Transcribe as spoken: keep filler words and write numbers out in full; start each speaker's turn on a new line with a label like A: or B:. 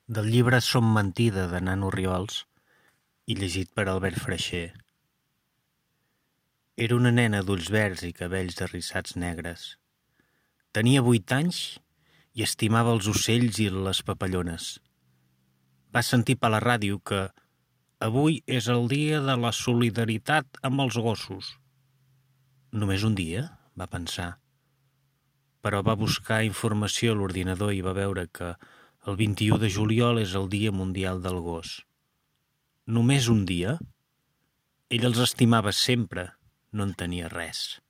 A: Del llibre Som mentida, de Nano Riols, i llegit per Albert Freixer. Era una nena d'ulls verds i cabells arrissats negres. Tenia vuit anys i estimava els ocells i les papallones. Va sentir per la ràdio que avui és el dia de la solidaritat amb els gossos. Només un dia, va pensar. Però va buscar informació a l'ordinador i va veure que el vint-i-u de juliol és el Dia Mundial del Gos. Només un dia? Ell els estimava sempre, no en tenia res.